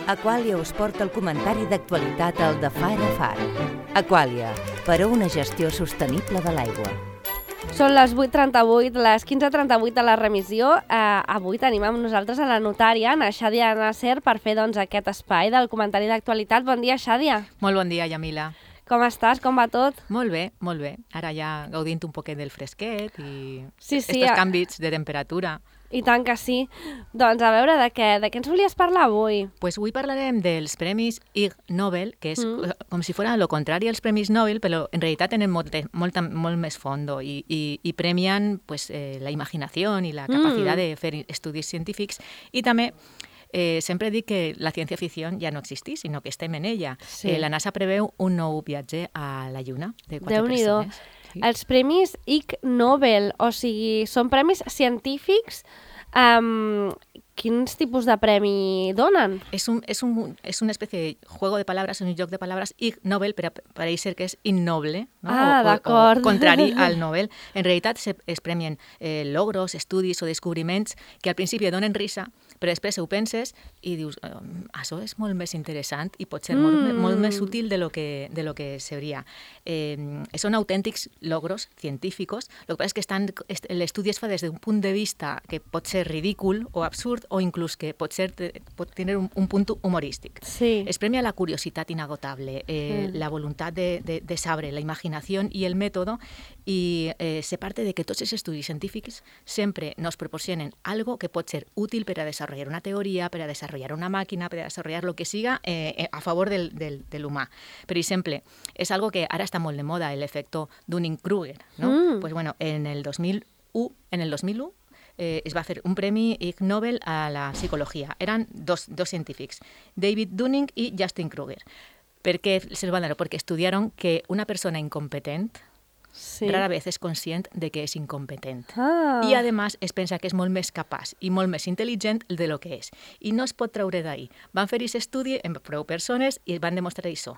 Aqualia us porta el comentari d'actualitat al de Far a Far. Aqualia, per a una gestió sostenible de l'aigua. Són les 8:38, les 15:38 de la remissió. Avui tenim amb nosaltres a la notària, a Xàdia Nasser, per fer aquest espai del comentari d'actualitat. Bon dia, Xàdia. Molt bon dia, Yamila. Com estàs? Com va tot? Molt bé, molt bé. Ara ja gaudint un poquet del fresquet i Sí, estos canvis de temperatura. I tant que sí. Doncs a veure, de què ens volies parlar avui? Pues avui parlarem dels Premis Ig Nobel, que és com si fora lo contrari als Premis Nobel, però en realitat tenen molt més fondo i premien pues, la imaginació i la capacitat de fer estudis científics i també sempre dic que la ciència-ficció ja no existeix, sinó que estem en ella. Sí. La NASA preveu un nou viatge a la Lluna de 4 Déu-n'hi-do. persones. Sí. Els Premis Ig Nobel, o sigui, són premis científics. Quins tipus de premi donen? Es una especie de juego de palabras, un joc de palabras, Ig Nobel, però pareix ser que és innoble, no? D'acord. O contrari al Nobel. En realitat es premien logros, estudis o descobriments que al principi donen risa, però després ho penses i dius, això és molt més interessant i pot ser molt més útil de lo que seria. Són autèntics logros científicos. Lo que pasa es que l'estudi es fa des d'un punt de vista que pot ser ridícul o absurd o inclús que pot tenir un punt humorístic. Sí. Es premia la curiositat inagotable, la voluntat de saber, la imaginació i el mètode i se parte de que tots els estudis científics sempre nos proporcionen algo que pot ser útil per a desarrollar una teoria, per a desarrollar una màquina, per a desarrollar lo que siga a favor de l'humà. Per exemple, és algo que ara està molt de moda, l'efecte Dunning-Kruger, no? Pues bueno, en el 2001 es va fer un premi Ig Nobel a la psicologia. Eren dos científics, David Dunning i Justin Kruger. Per què se'ls van dar? Perquè estudiaron que una persona incompetent rara vez es conscient de que és incompetent. I, a més, es pensa que és molt més capaç i molt més intel·ligent de lo que és. I no es pot treure d'ahí. Van fer aquest estudi amb prou persones i van demostrar això.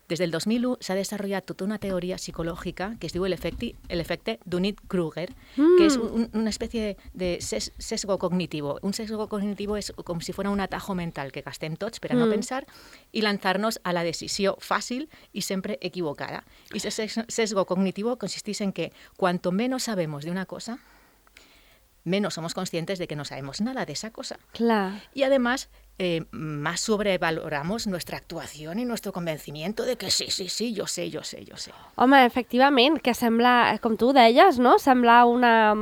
Des del 2001 s'ha desenvolupat tota una teoria psicològica que es diu l'efecte Dunning-Kruger, que és una espècie de sesgo cognitivo. Un sesgo cognitivo és com si fos un atajo mental que gastem tots per a no pensar i lançar-nos a la decisió fàcil i sempre equivocada. I aquest sesgo cognitivo consisteix en que cuanto menos sabemos de una cosa, menos somos conscientes de que no sabemos nada de esa cosa. Clar. Y además, más sobrevaloramos nuestra actuación y nuestro convencimiento de que sí, yo sé. Home, efectivament, que sembla, com tu deies, no? Sembla una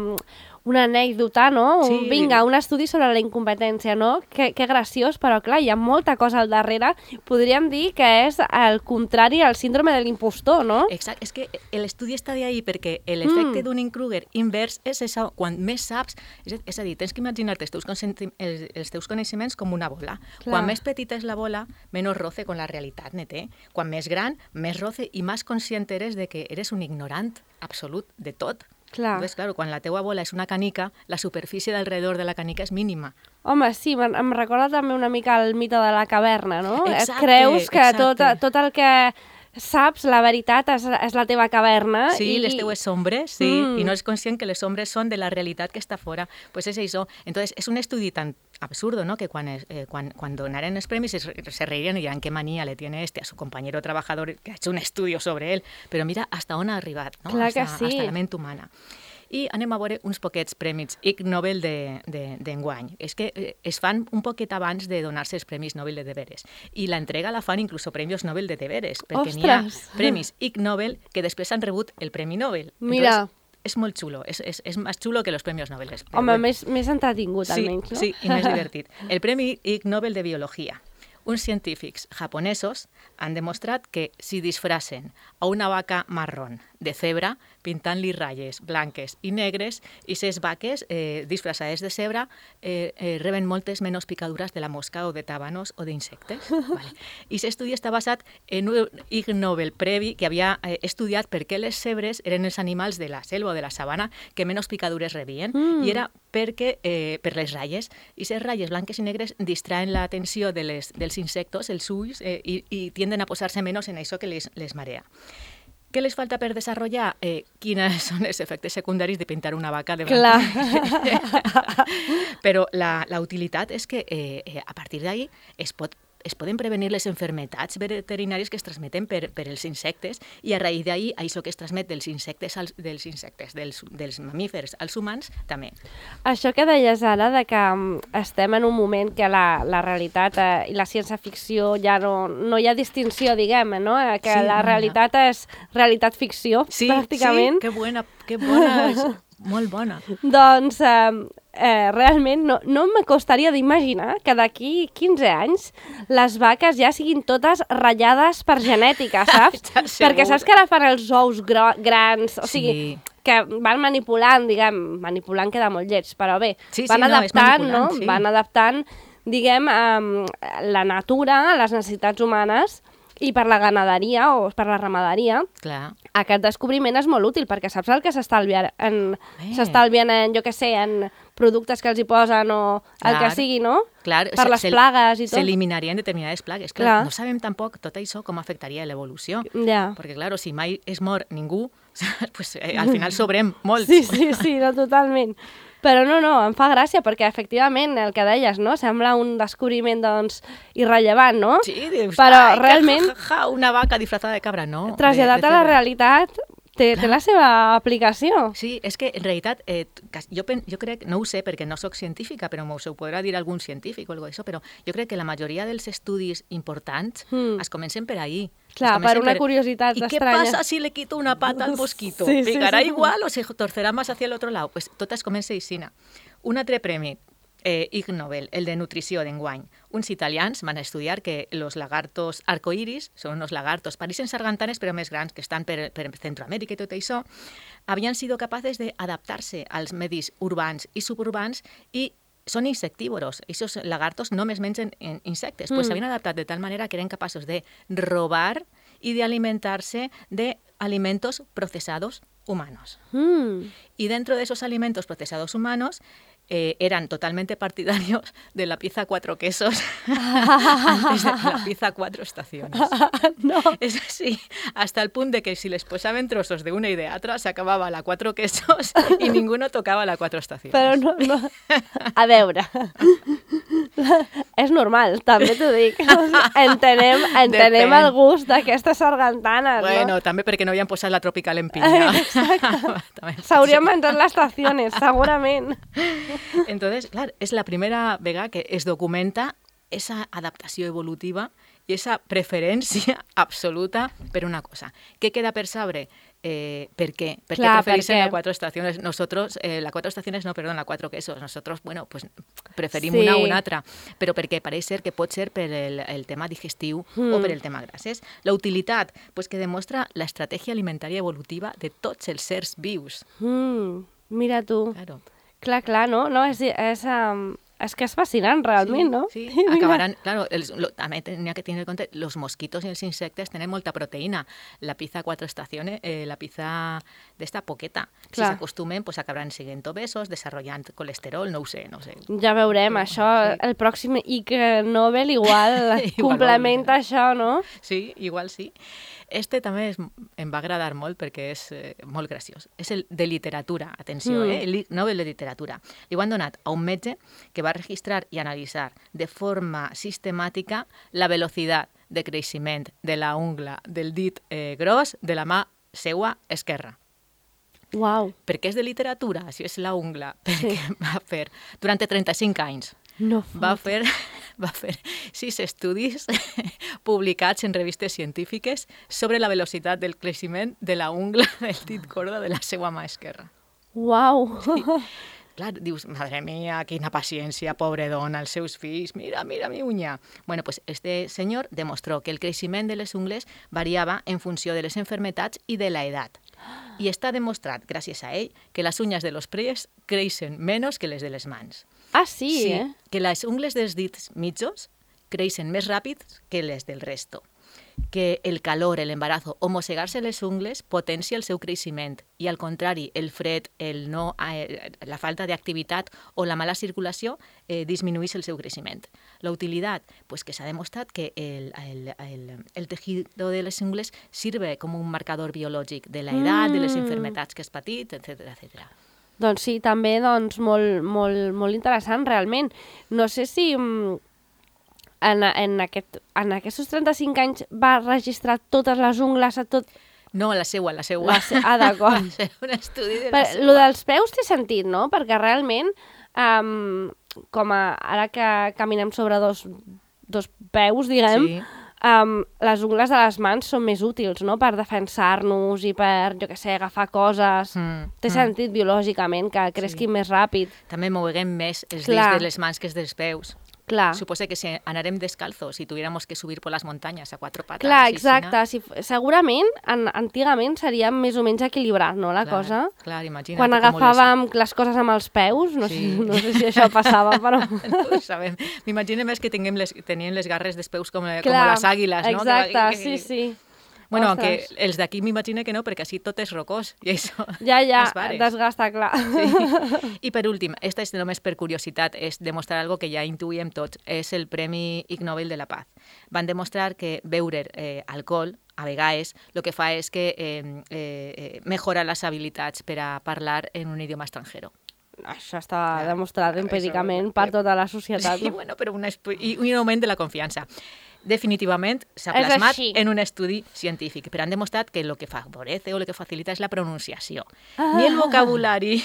anècdota, no? Sí. Vinga, un estudi sobre la incompetència, no? Que graciós, però clar, hi ha molta cosa al darrere. Podríem dir que és el contrari al síndrome de l'impostor, no? Exacte, és que l'estudi està d'ahí perquè l'efecte Dunning-Kruger invers és això, quan més saps, és a dir, tens que imaginar-te els teus coneixements com una bola. Clar. Quan més petita és la bola, menys roce con la realitat ne té. Quan més gran, més roce i més conscient eres de que eres un ignorant absolut de tot. Clar. Entonces, claro, quan la teua bola és una canica, la superfície d'alrededor de la canica és mínima. Home, sí, em recorda també una mica el mite de la caverna, no? Exacte, Et creus que exacte. tot el que saps, la veritat, és la teva caverna. Sí, les teues sombres, sí, i no és conscient que les sombres són de la realitat que està fora. Pues és això. Entonces, és un estudi tan absurdo, ¿no? Que quan donaren els premis se reirían y dirán qué manía le tiene a su compañero trabajador que ha hecho un estudio sobre él. Però mira hasta on ha arribat, no? Clar que sí. Hasta la ment humana. I anem a veure uns poquets premis Ig Nobel d'enguany. És que es fan un poquet abans de donar-se els premis Nobel de deberes. I l'entrega la fan inclús premis Nobel de deberes, perquè n'hi ha premis Ig Nobel que després han rebut el Premi Nobel. Mira. Entonces, és molt xulo, és més xulo que els premis Nobel. Home, més entretingut, almenys, no? Sí, i més divertit. El Premi Ig Nobel de Biologia. Uns científics japonesos han demostrat que si disfracen a una vaca marrón de zebra, pintant-li ratlles blanques i negres, i ses vaques disfressades de zebra reben moltes menys picadures de la mosca o de tàbanos o d'insectes. Vale. I aquest estudi està basat en un Ig Nobel previ que havia estudiat per què les zebres eren els animals de la selva o de la sabana que menys picadures rebien, i era perquè per les ratlles. I les ratlles blanques i negres distraen l'atenció dels insectos, els ulls, i tienden a posar-se menys en això que les marea. Què les falta per desenvolupar? Quins són els efectes secundaris de pintar una vaca de blanc? Clar. Però la utilitat és que a partir d'ahí es pot es poden prevenir les enfermetats veterinàries que es transmeten per els insectes i a raïs d'ahir, això que es transmet dels mamífers als humans, també. Això que deies ara, de que estem en un moment que la realitat i la ciència-ficció ja no hi ha distinció, diguem, no? Que Sí, la realitat és realitat-ficció, pràcticament. Sí, que bona, molt bona. Doncs realment no m'acostaria d'imaginar que d'aquí 15 anys les vaques ja siguin totes ratllades per genètica, saps? Perquè saps que ara fan els ous grans, o sigui, que van manipulant, diguem, manipulant queda molt lleig, però bé, van adaptant, no? Van adaptant, diguem, la natura a les necessitats humanes i per la ganaderia o per la ramaderia. Clar. Aquest descobriment és molt útil perquè saps el que s'estalvien en, jo què sé, en productes que els hi posen o el que sigui, no? Clar, per les plagues i tot. S'eliminarien determinades plagues. Clar, no sabem tampoc tot això com afectaria l'evolució. Ja. Perquè, clar, si mai es mor ningú, pues, al final sobrem molts. Sí, no, totalment. Però no, em fa gràcia perquè efectivament el que deies, no? Sembla un descobriment, doncs, irrellevant, no? Sí, dius, però realment una vaca disfrazada de cabra, no. Traslladat a la realitat té la seva aplicació. Sí, és que en realitat jo crec, no ho sé perquè no soc científica, però m'ho podrà dir algun científic o alguna cosa d'això, però jo crec que la majoria dels estudis importants es comencen per ahí. Clar, per una curiositat estranya. ¿Y qué pasa si le quito una pata al mosquito? ¿Picará igual o se torcerá más hacia el otro lado? Pues totes comencen així. Un altre premi, Ig Nobel, el de nutrició d'enguany. Uns italians van estudiar que los lagartos arcoiris, són unos lagartos parisens sargantanes, però més grans, que estan per Centroamèrica i tot això, havien sido capaces d'adaptar-se als medis urbans i suburbans i són insectívoros. Aquests lagartos només mengen insectes. Pues s'havien adaptat de tal manera que eren capaços de robar y de alimentarse de alimentos procesados humanos. Y dentro de esos alimentos procesados humanos eran totalmente partidarios de la pizza 4 quesos antes de la pizza 4 estaciones. No. Es así, hasta el punt de que si les posaven trossos de una i de altra s'acabava la 4 quesos i ninguno tocava la 4 estaciones. Però no. A veure, és normal, també t'ho dic. Entenem el gust d'aquestes sargantanes, bueno, no? també perquè no havien posat la Tropical en pinya. S'haurien menjat les estaciones, segurament. Entonces, clar, és la primera vegada que es documenta esa adaptació evolutiva i esa preferència absoluta per una cosa. Què queda per saber? ¿Per qué? ¿Por qué preferís la 4 estaciones? Nosotros, la 4 estaciones, no, perdón, la 4 quesos. Nosotros, bueno, pues preferim una o una altra. Però perquè pareix ser que pot ser per el tema digestiu o per el tema grasses. La utilitat, pues que demostra l'estratègia alimentària evolutiva de tots els sers vius. Mira tu. Claro. Clar, no? És que és fascinant, realment, no? Sí, acabaran... Claro, també tenia que tenir en compte, los mosquitos i els insectes tenen molta proteïna. La pizza 4 estaciones, la pizza d'esta poqueta. Si s'acostumen, pues acabaran siguent obesos, desarrollant colesterol, no ho sé. Ja veurem, això, el pròxim Ig Nobel igual complementa això, no? Sí, igual sí. Este també em va agradar molt perquè és molt graciós. És el de literatura, atenció, el Nobel de literatura. Li ho han donat a un metge que va registrar i analitzar de forma sistemàtica la velocitat de creixement de la ungla del dit gros de la mà seua esquerra. Uau. Per què és de literatura? Si és la ungla, perquè va fer durant 35 anys. No va fer 6 estudis publicats en revistes científiques sobre la velocitat del creixement de la ungla del dit gordo de la seva mà esquerra. Uau! Sí. Clar, dius, madre mía, quina paciència, pobre dona, els seus fills, mira mi uña. Bueno, pues este senyor demostró que el creixement de les ungles variava en funció de les enfermetats i de la edat. I està demostrat, gràcies a ell, que les uñas de los pies creixen menys que les de les mans. Ah, sí, eh? Que les ungles dels dits mitjos creixen més ràpid que les del resto. Que el calor, l'embarazo o mossegar-se les ungles potencia el seu creixement i, al contrari, el fred, la falta d'activitat o la mala circulació disminueix el seu creixement. La utilitat, pues que s'ha demostrat que el tejido de les ungles sirve com un marcador biològic de l'edat, de les enfermetats que has patit, etc. Doncs sí, també molt interessant, realment. No sé si en aquests 35 anys va registrar totes les ungles a tot... No, la seua. D'acord. Va ser un estudi de la seua. Lo dels peus té sentit, no? Perquè realment, ara que caminem sobre dos peus, diguem, Sí. Les ungles de les mans són més útils, no?, per defensar-nos i per, jo què sé, agafar coses. Té sentit biològicament que cresquin més ràpid. També moguem més els Clar. dits de les mans que els dels peus. Clar. Suposo que si anarem descalzos y tuviéramos que subir por las montañas a 4 patas. Clar, exacte. Segurament, antigament seria més o menys equilibrat, no, la cosa? Clar, imagina't. Quan agafàvem les coses amb els peus, no sé si això passava, però... No ho sabem. M'imagino més que tenien les garres dels peus com les àguiles, no? Exacte, sí. Bueno, Ostres. aunque els d'aquí m'imagino que no, perquè així tot és rocós. I això Ja, es desgasta, clar. Sí. I per últim, esta és només per curiositat, és demostrar algo que ja intuïem tots, és el Premi Ig Nobel de la Paz. Van demostrar que beure alcohol, a vegades, el que fa és que mejora les habilitats per a parlar en un idioma estranger. Això està demostrat empíricament per tota la societat. Sí, bueno, però un augment de la confiança. Definitivament s'ha plasmat en un estudi científic, però han demostrat que el que favorece o el que facilita és la pronunciació. Ni el vocabulari,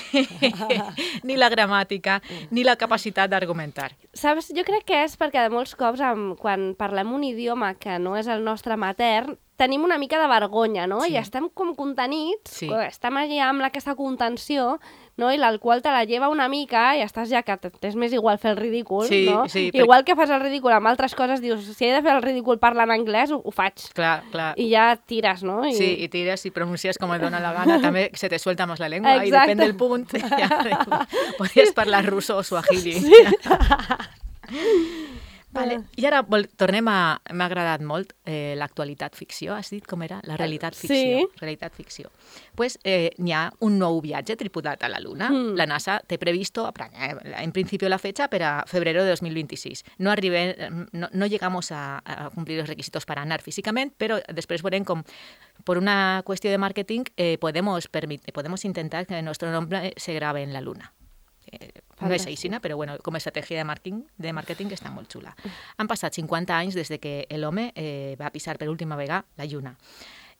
ni la gramàtica, ni la capacitat d'argumentar. Saps, jo crec que és perquè de molts cops quan parlem un idioma que no és el nostre matern, tenim una mica de vergonya, no? Sí. I estem com contenits, Sí. estem allà amb aquesta contenció, no? I l'alcohol te la lleva una mica i estàs ja que t'és més igual fer el ridícul, Sí, no? sí, Igual que fas el ridícul amb altres coses, dius, si he de fer el ridícul parlant anglès, ho faig. Clar. I ja tires, no? Sí, y tiras y pronuncias como te dona la gana, también se te suelta más la lengua Exacte. y depende del punto. Podries parlar russo o suahili. Sí. Vale. I ara tornem a... M'ha agradat molt l'actualitat ficció. Has dit com era? La realitat ficció. Sí. Realitat ficció. Pues n'hi ha un nou viatge tripulat a la Luna. La NASA té previsto, en principio la fecha, para febrero de 2026. No llegamos a cumplir los requisitos para anar físicamente, pero después verem com por una cuestión de marketing podemos intentar que nuestro nombre se grabe en la Luna. No és aixina, però bueno, com a estratègia de màrqueting està molt xula. Han passat 50 anys des de que l'home va pisar per última vegada la Lluna.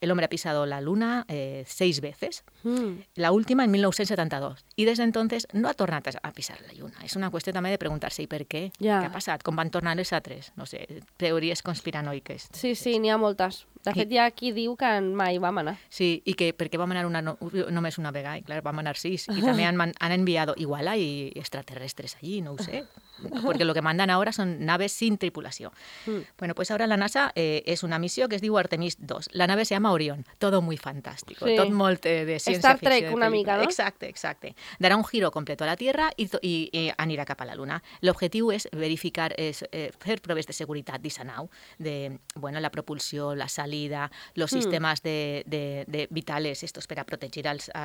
El hombre ha pisado la Luna 6 veces, la última en 1972, y desde entonces no ha tornat a pisar la Lluna. És una qüestió també de preguntar-se, i per què? Què ha passat? Com van tornar les altres? No sé, teories conspiranoiques. Sí, n'hi ha moltes. De fet, hi ha qui diu que mai vam anar. Sí, i que per què vam anar només una vegada? I clar, vam anar 6. I també han enviado, igual hay extraterrestres allí, no ho sé. Porque lo que mandan ahora son naves sin tripulación. Bueno, pues ahora la NASA es una misión que es diu Artemis 2. La nave se llama Orión. Todo muy fantástico. Sí. Tot molt de ciència Star ficció. Trek una mica, ¿no? Exacte. Dará un giro completo a la Tierra y anirà cap a la Luna. L'objectiu és verificar, fer proves de seguretat d'aquesta nau, de la propulsió, la salida, los sistemes vitales estos para protegir als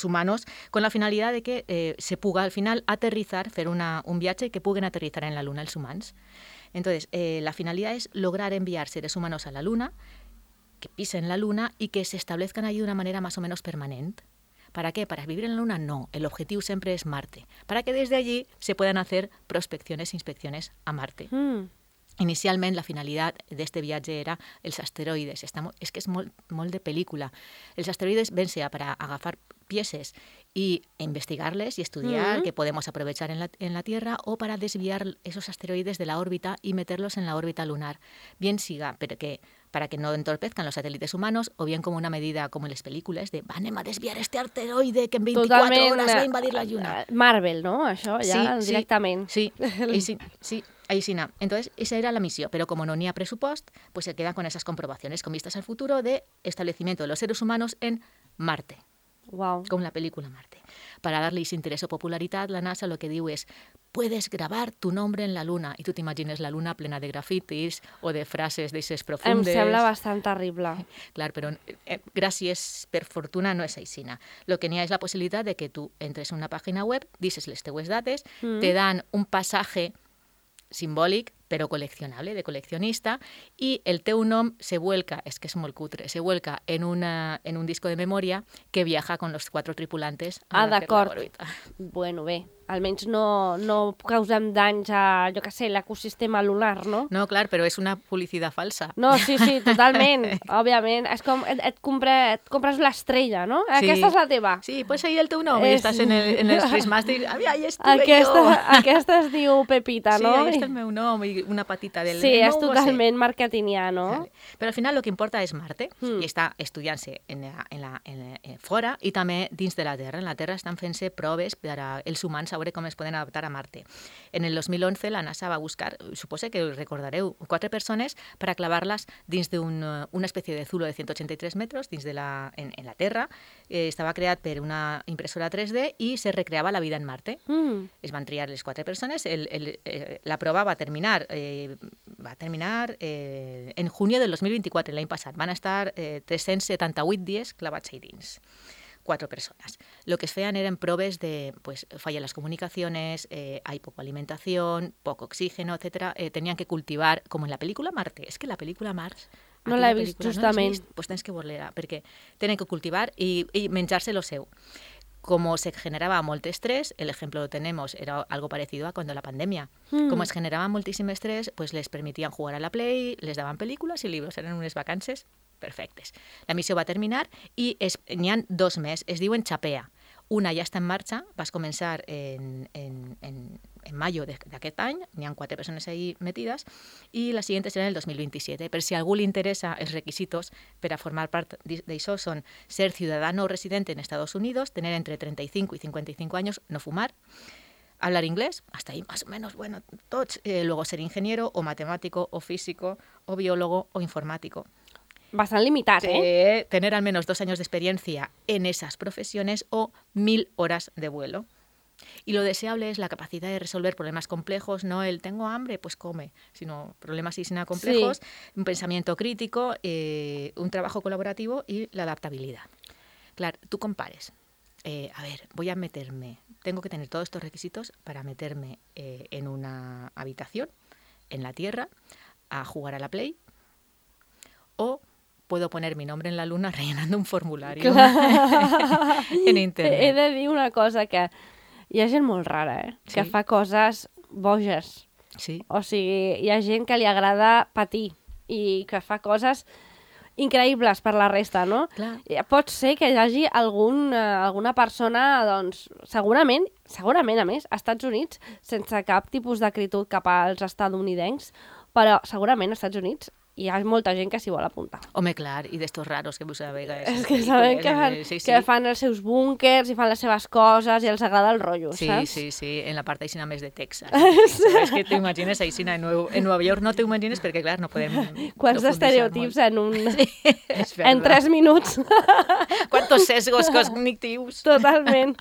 humanos, con la finalidad de que se puga al final aterrizar, fer un viatge que puguen aterrizar en la Luna els humans. Entonces, la finalidad es lograr enviar seres humanos a la Luna, que pisen la Luna y que se establezcan allí de una manera más o menos permanente. ¿Para qué? ¿Para vivir en la Luna? No, el objetivo siempre es Marte, para que desde allí se puedan hacer prospecciones e inspecciones a Marte. Inicialment, la finalitat d'este viatge era els asteroides. És que és molt de pel·lícula. Els asteroides ven sea para agafar piezas y investigarles y estudiar qué podemos aprovechar en la Tierra, o para desviar esos asteroides de la órbita y meterlos en la órbita lunar. Bien siga para que no entorpezcan los satélites humanos, o bien como una medida, como en les pel·lícules, de anem a desviar este asteroide que en 24 horas va a invadir la Lluna. Marvel, no? Això ja directament. Sí. Aixina. Entonces, esa era la misión, pero como no n'hi ha presupuest, pues se queda con esas comprobaciones con vistas al futuro de establecimiento de los seres humanos en Marte. Wow. Con la película Marte. Para darles interés o popularidad, la NASA lo que diu és: puedes grabar tu nombre en la Luna. I tu t'imagines la Luna plena de grafitis o de frases d'eixes profundes. Em sembla bastant terrible. Clar, però gràcies, per fortuna, no és aixina. Lo que n'hi ha és la possibilitat de que tu entres en una pàgina web, dices les teues dates, te dan un passatge simbòlic però col·leccionable, de col·leccionista, i el teu nom se vuelca, és que és molt cutre, se vuelca en un disco de memòria que viaja con los 4 tripulantes a la òrbita. Bueno, bé, almenys no causem danys a, jo què sé, l'ecosistema lunar, no? No, clar, però és una publicitat falsa. No, sí, totalment, òbviament. És com et compres l'estrella, no? Sí. Aquesta és la teva. Sí, pues ahí el teu nom, i estàs en els Christmas, i ahí estuve jo. Aquesta es diu Pepita, no? Sí, ahí està el meu nom, i una patita del... Sí, és totalment marketingià, no? Vale. Però al final el que importa és Marte, i està estudiant-se fora i també dins de la Terra. En la Terra estan fent-se proves per als humans a veure com es poden adaptar a Marte. En el 2011 la NASA va buscar, suposo que recordareu, 4 persones per a clavar-les dins d'una espècie de zulo de 183 metres dins en la Terra. Estava creat per una impressora 3D i se recreava la vida en Marte. Es van triar les 4 persones. La prova va terminar en junio del 2024, l'any passat. Van estar 378 dies clavats ahí dins. 4 personas. Lo que es fean eran proves de, pues, fallan las comunicaciones, hay poca alimentación, poco oxígeno, etcétera. Tenían que cultivar, como en la película Marte. Es que la película Mars... No l'he vist, justament. Pues tens que veure-la, perquè tenen que cultivar i menjar-se lo seu. Como se generaba molt estrés, el ejemplo lo tenemos, era algo parecido a cuando la pandemia. Como se generaba muchísimo estrés, pues les permitían jugar a la Play, les daban películas y libros, eran unes vacances perfectes. La missió va terminar i n'hi ha 2 més, es diuen Chapea. Una ja està en marxa, vas començar en mayo d'aquest any, n'hi ha 4 persones ahí metides, i la siguiente serà en el 2027. Per si a algú li interessa, els requisitos per a formar part d'això són ser ciudadano residente en Estados Unidos, tener entre 35 y 55 años, no fumar, hablar inglés, hasta ahí más o menos, bueno, tots, luego ser ingeniero o matemático o físico o biólogo o informático. Bastant limitat, ¿eh? Tener al menos 2 años de experiencia en esas profesiones o 1000 horas de vuelo. Y lo deseable es la capacidad de resolver problemas complejos, no el tengo hambre, pues come, sino problemas sin nada complejos, sí. Un pensamiento crítico, un trabajo colaborativo y la adaptabilidad. Claro, tú compares. A ver, voy a meterme, tengo que tener todos estos requisitos para meterme en una habitación, en la Tierra, a jugar a la Play, o puedo poner mi nombre en la luna rellenando un formulario en internet. He de dir una cosa, que hi ha gent molt rara, que fa coses boges. Sí. O sigui, hi ha gent que li agrada patir i que fa coses increïbles per la resta, no? Clar. Pot ser que hi hagi alguna persona, doncs, segurament, a més, als Estats Units, sense cap tipus d'acritud cap als estadounidencs, però segurament als Estats Units hi ha molta gent que s'hi vol apuntar. Home, clar, i d'estos raros que vos sabeu. És que sabem que fan els seus búnkers i fan les seves coses i els agrada el rotllo, saps? Sí, en la part aixina més de Texas. És que t'imagines aixina en Nova York, no t'imagines perquè, clar, no podem... Quants estereotips en 3 minuts. Quantos sesgos cognitius. Totalment.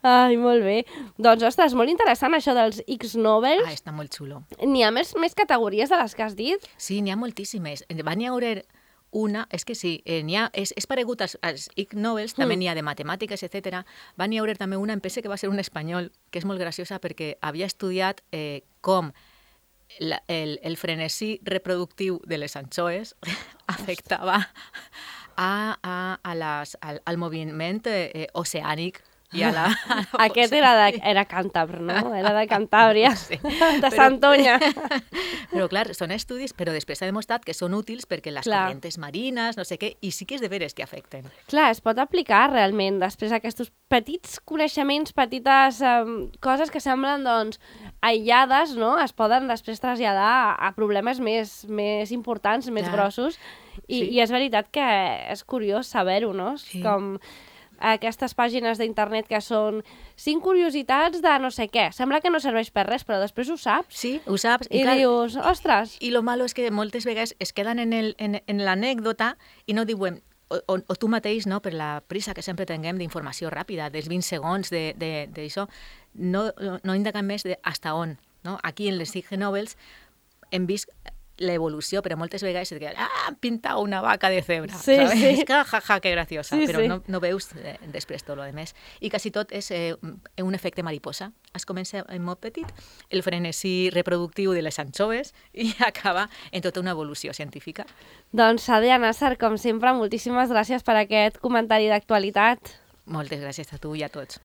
Ai, molt bé. Doncs, ostres, molt interessant això dels Ig-Nobels. Està molt xulo. N'hi ha més categories de les que has dit? Sí, n'hi ha moltíssimes. Van hi haure una, és que sí, és paregut als Ig-Nobels, també n'hi ha de matemàtiques, etc. Van hi haure també una, em penso que va ser un espanyol, que és molt graciosa perquè havia estudiat com el frenesí reproductiu de les anxoes afectava al moviment oceànic. Aquest era càntabre, no? Era de Cantàbria, sí. De Santoña. Però clar, són estudis, però després s'ha demostrat que són útils perquè les corrents marines, no sé què, i sí que és de veres que afecten. Clar, es pot aplicar realment després aquests petits coneixements, petites coses que semblen doncs aïllades, no? Es poden després traslladar a problemes més importants, més grossos, i és veritat que és curiós saber-ho, no? Sí. Com aquestes pàgines d'internet que són 5 curiositats de no sé què. Sembla que no serveix per res, però després ho saps. Sí, ho saps. I dius, ostres... I lo malo és que moltes vegades es queden en l'anècdota i no diuen, o tu mateix, no, per la prisa que sempre tinguem d'informació ràpida, dels 20 segons d'això, no indaguen més de hasta on. No? Aquí en les Ig Nobels hem vist l'evolució, però moltes vegades et diuen, pinta una vaca de zebra, Sí, ¿sabes? sí. És que, jaja, que graciosa, Sí, però sí. no veus després tot lo demés. I quasi tot és un efecte mariposa. Es comença en molt petit, el frenesí reproductiu de les anxoves i acaba en tota una evolució científica. Doncs, Sadia Nasser, com sempre, moltíssimes gràcies per aquest comentari d'actualitat. Moltes gràcies a tu i a tots.